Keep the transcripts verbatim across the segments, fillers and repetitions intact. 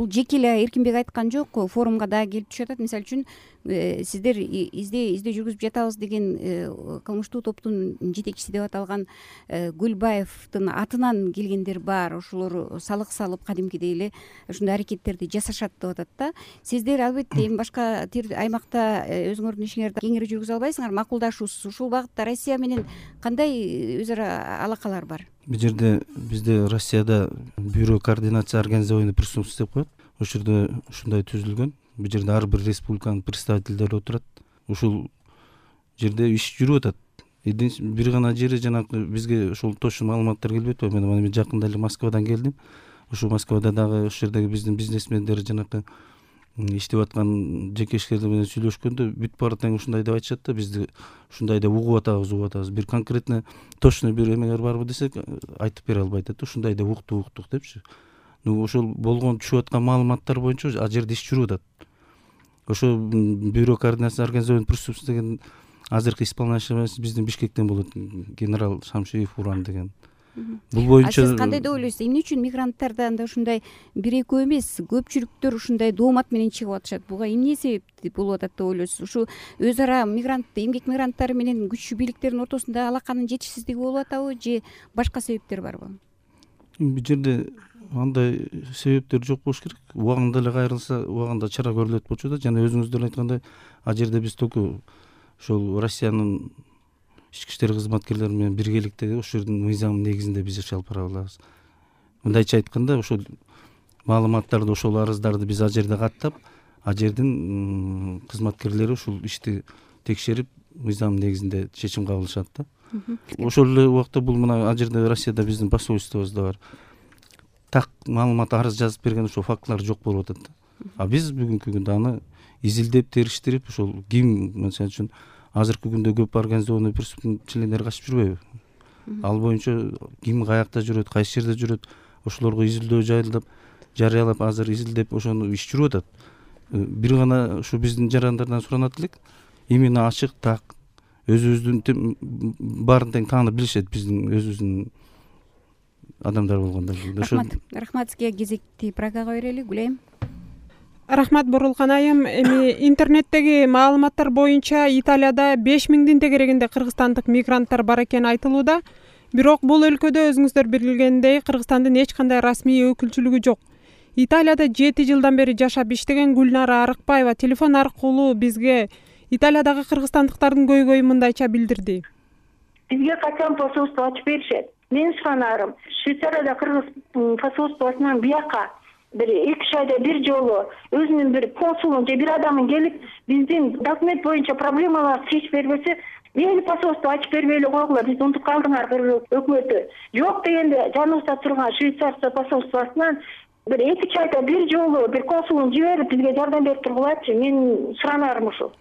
бул жеке эле Эркинбек айткан жок, форумга дагы келип түшүп атат. Мисалы үчүн сиздер издөө издөө жүргүзүп жатабыз деген кылмыштуу топтун жетекчиси деп аталган Гүлбаевдин атынан келгендер бар. Ошолор салык салып кадимкидей эле ушундай аракеттерди жасашат деп атат да. Сиздер албетте эми башка аймакта өзүңөрдүн ишиңерди кеңири жүргүзө албайсыңар, макулдашуусуз. Ушул багытта Россия менен кандай өз ара алакалар бар? Бул жерде бизде Россияда бюро координация организований преступности деп коет. Ошол жерде ушундай түзүлгөн. Бул жерде ар бир республиканын представительдери отурат. Ушул жерде иш жүрүп атат. Бир гана жери жанагы бизге ошол точно маалыматтар келбей атпайбы. Мен жакында эле Москвадан келдим. Ушул Москвада дагы ошол жердеги биздин бизнесмендер жанагы иштеп аткан жеке ишкерлер менен сүйлөшкөндө бүт баары тең ушундай деп айтышат да, бизди ушундай деп угуп атабыз, угуп атабыз. Бир конкретно точно бир эмеңер барбы десек айтып бере албай атат. Ушундай деп уктук уктук депчи. Ну ошол болгон түшүп аткан маалыматтар боюнча ал жерде иш жүрүп атат. Ошо бюро координация организований преступности деген азыркы исполняющий биздин Бишкектен болот, генерал Шамшиев Уран деген. Бул боюнча сиз кандай деп ойлойсуз? Эмне үчүн мигранттардан да ушундай бир экөө эмес, көпчүлүктөр ушундай доомат менен чыгып атышат? Буга эмне себеп болуп атат деп ойлойсуз? Ушу өз ара мигрант, эмгек мигранттары менен күчтүү бийликтердин ортосунда алаканын жетишсиздиги болуп атабы же башка себептер барбы? Бул жерде андай себептер жок болуш керек. Убагында эле кайрылса, убагында чара көрүлөт болчу да. Жана өзүңүздөр айткандай, ал жерде биз только ошол Россиянын ички иштер кызматкерлери менен биргеликте ошол жердин мыйзамы негизинде биз иш алып бара алабыз. Мындайча айтканда, ошол маалыматтарды, ошол арыздарды биз ал жерде каттап, ал жердин кызматкерлери ушул ишти текшерип, мыйзам негизинде чечим кабыл кылышат да. Ошол эле убакта бул мына ал жерде Россияда биздин посольствобуз да бар. Так маалымат, арыз жазып берген ошол фактылар жок болуп атат да. А биз бүгүнкү күндө аны изилдеп, териштирип, ошол ким, мисалы үчүн азыркы күндө көп организованный преступность члендери качып жүрбөйбү? Ал боюнча ким каякта жүрөт, кайсы жерде жүрөт, ошолорго изилдөө жайылдап, жарыялап, азыр изилдеп ошону иш жүрүп атат. Бир гана ушу биздин жарандардан суранат элек, именно ачык, так, өзүбүздүн баарын тең таанып билишет биздин өзүбүздүн адамдар болгондо. Рахмат. Рахмат сизге. Кезекти программага берели. Гүлайым. Рахмат Бурулкан айым. Эми интернеттеги маалыматтар боюнча Италияда беш миңдин тегерегинде кыргызстандык мигранттар бар экени айтылууда. Бирок бул өлкөдө өзүңүздөр билгендей Кыргызстандын эч кандай расмий өкүлчүлүгү жок. Италияда жети жылдан бери жашап иштеген Гүлнара Арыкбаева телефон аркылуу бизге Италиядагы кыргызстандыктардын көйгөйүн мындайча билдирди. Бизге качан посольство ачып беришет? Мен суранарым, Швейцарияда кыргыз посольствосунан бияка бир эки үч айда бир жолу өзүнүн бир консулун же бир адамын келип биздин документ боюнча проблемаларды чечип бербесе, мени посольство ачып бербей эле койгула, бизди унутуп калдыңар өкмөтү. Жок дегенде жаныбызда турган Швейцария посольствосунан бир эки үч айда бир жолу бир консулун жиберип бизге жардам берип тургулачы. Мен суранарым ушул.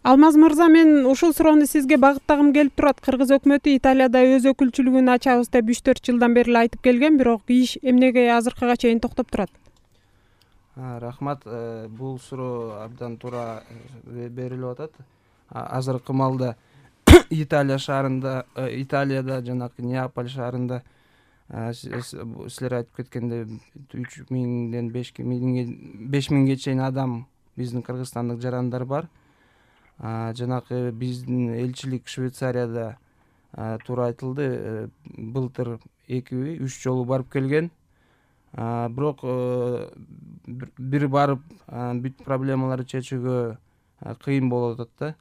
Алмаз мырза, мен ушул суроону сизге багыттагым келип турат. Кыргыз өкмөтү Италияда өз өкүлчүлүгүн ачабыз деп үч төрт жылдан бери эле айтып келген, бирок иш эмнеге азыркыга чейин токтоп турат? Рахмат. Бул суроо абдан туура берилип атат. Азыркы маалда Италия шаарында, Италияда жанагы Неаполь шаарында силер айтып кеткендей үч миңден беш миңге чейин адам биздин кыргызстандык жарандар бар. Жанагы биздин элчилик Швейцарияда туура айтылды, былтыр эки үч жолу барып келген. Бирок бир барып бүт проблемаларды чечүүгө кыйын болуп атат да.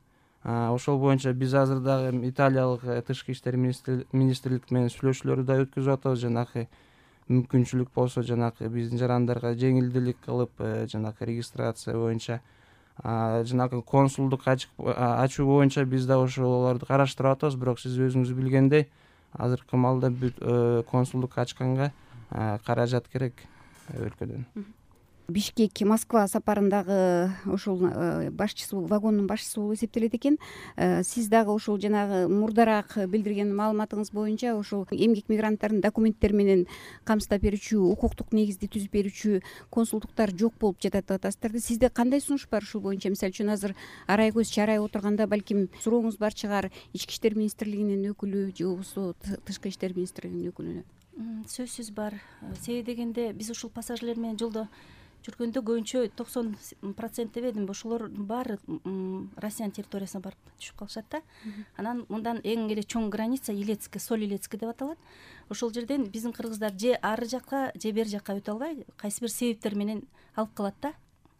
Ошол боюнча биз азыр дагы италиялык тышкы иштер министрлик менен сүйлөшүүлөрдү да өткөзүп атабыз. Жанагы мүмкүнчүлүк болсо жанагы биздин жарандарга жеңилдүүлүк кылып, жанагы регистрация боюнча, жанагы консулдук ачуу боюнча биз да ошолорду караштырып атабыз. Бирок сиз өзүңүз билгендей, азыркы маалда бүт консулдук ачканга каражат керек өлкөдөн. Бишкек Москва сапарындагы ошол башчысы, вагондун башчысы болуп эсептелет экен. Сиз дагы ошол жанагы мурдараак билдирген маалыматыңыз боюнча ошол эмгек мигранттардын документтери менен камсыздап берүүчү, укуктук негизди түзүп берүүчү консулдуктар жок болуп жатат деп атасыздар да. Сизде кандай сунуш бар ушул боюнча? Мисалы үчүн азыр арай көз чарай отурганда балким сурооңуз бар чыгар Ички иштер министрлигинин өкүлү же болбосо Тышкы иштер министрлигинин өкүлүнө. Сөзсүз бар. Себеби дегенде биз ушул пассажирлер менен жолдо жүргөндө көбүнчө токсон процент деп эдим, ошолордун баары Россиянын территориясына барып түшүп калышат да. Анан мындан эң эле чоң граница Илецкий, Соль Илецкий деп аталат. Ошол жерден биздин кыргыздар же ары жакка, же бери жакка өтө албай, кайсы бир себептер менен алып калат да.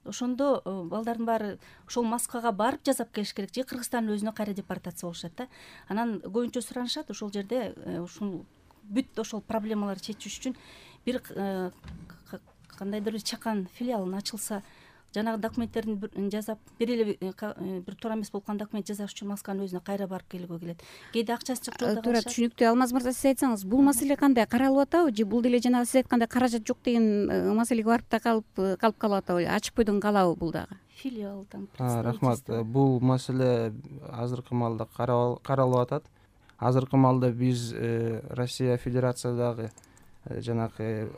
Ошондо балдардын баары ошол Москвага барып жасап келиш керек, же Кыргызстандын өзүнө кайра депортация болушат да. Анан көбүнчө суранышат ошол жерде ушул бүт ошол проблемаларды чечиш үчүн бир кандайдыр бир чакан филиалын ачылса, жанагы документтерин жасап, бир эле бир туура эмес болгон документ жасаш үчүн Москванын өзүнө кайра барып келүүгө келет. Кээде акчасы жок жолдо туура түшүнүктүү. Алмаз мырза, сиз айтсаңыз, бул маселе кандай каралып атабы, же бул деле жанагы сиз айткандай каражат жок деген маселеге барып да калып калып калып атабы, ачык бойдон калабы бул дагы? Филиалдан. Рахмат. Бул маселе азыркы маалда каралып атат. Азыркы маалда биз Россия Федерациядагы жанагы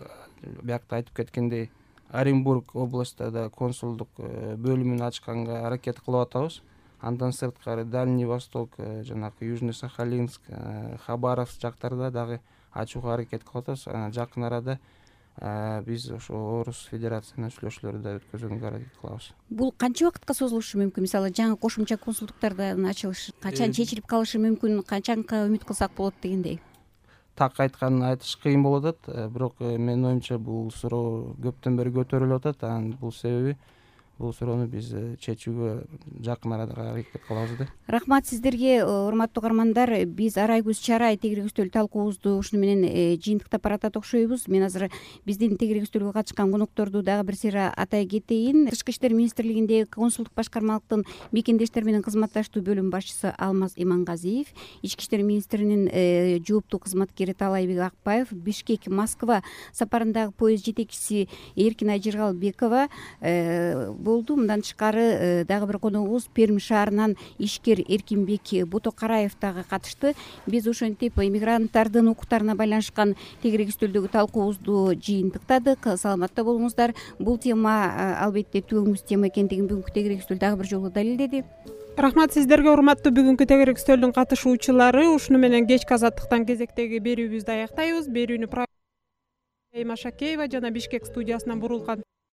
биякта айтып кеткендей Оренбург областында консулдук бөлүмүн ачканга аракет кылып атабыз. Андан сырткары Дальний Восток, жанагы Южный Сахалинск, Хабаровск жактарда дагы ачууга аракет кылып атабыз. Жакын арада биз ошо Орус Федерациясынын сүйлөшүүлөрү да өткөзгөнгө аракет кылабыз. Бул канча убакытка созулушу мүмкүн? Мисалы, жаңы кошумча консулдуктардын ачылышы качан чечилип калышы мүмкүн, качанга үмүт кылсак болот дегендей? Так айтканын айтыш кыйын болуп атат, бирок менин оюмча бул суроо көптөн бери көтөрүлүп атат. Анын бул себеби бул суроону биз чечүүгө жакын арада аракет кылабыз да. Рахмат сиздерге, урматтуу угармандар. Биз Арайгүл Чарай тегерек үстөл талкуубузду ушуну менен жыйынтыктап баратат окшойбуз. Мен азыр биздин тегерек үстөлгө катышкан конокторду дагы бир сыйра атай кетейин. Тышкы иштер министрлигиндеги консулдук башкармалыктын мекендештер менен кызматташтуу бөлүм башчысы Алмаз Имангазиев, ички иштер министринин жооптуу кызматкери Таалайбек Акбаев, Бишкек Москва сапарындагы поезд жетекчиси Эркинай Жыргалбекова болду. Мындан тышкары дагы бир коногубуз Пермь шаарынан ишкер Эркинбек Ботокараев дагы катышты. Биз ошентип иммигранттардын укуктарына байланышкан тегерек үстөлдөгү талкуубузду жыйынтыктадык. Саламатта болуңуздар. Бул тема албетте түбөңүз тема экендигин бүгүнкү тегерек үстөл дагы бир жолу далилдеди. Рахмат сиздерге, урматтуу бүгүнкү тегерек үстөлдүн катышуучулары. Ушуну менен кечки азаттыктан кезектеги берүүбүздү аяктайбыз. Берүүнү Машакеева жана Бишкек студиясынан Бурулкан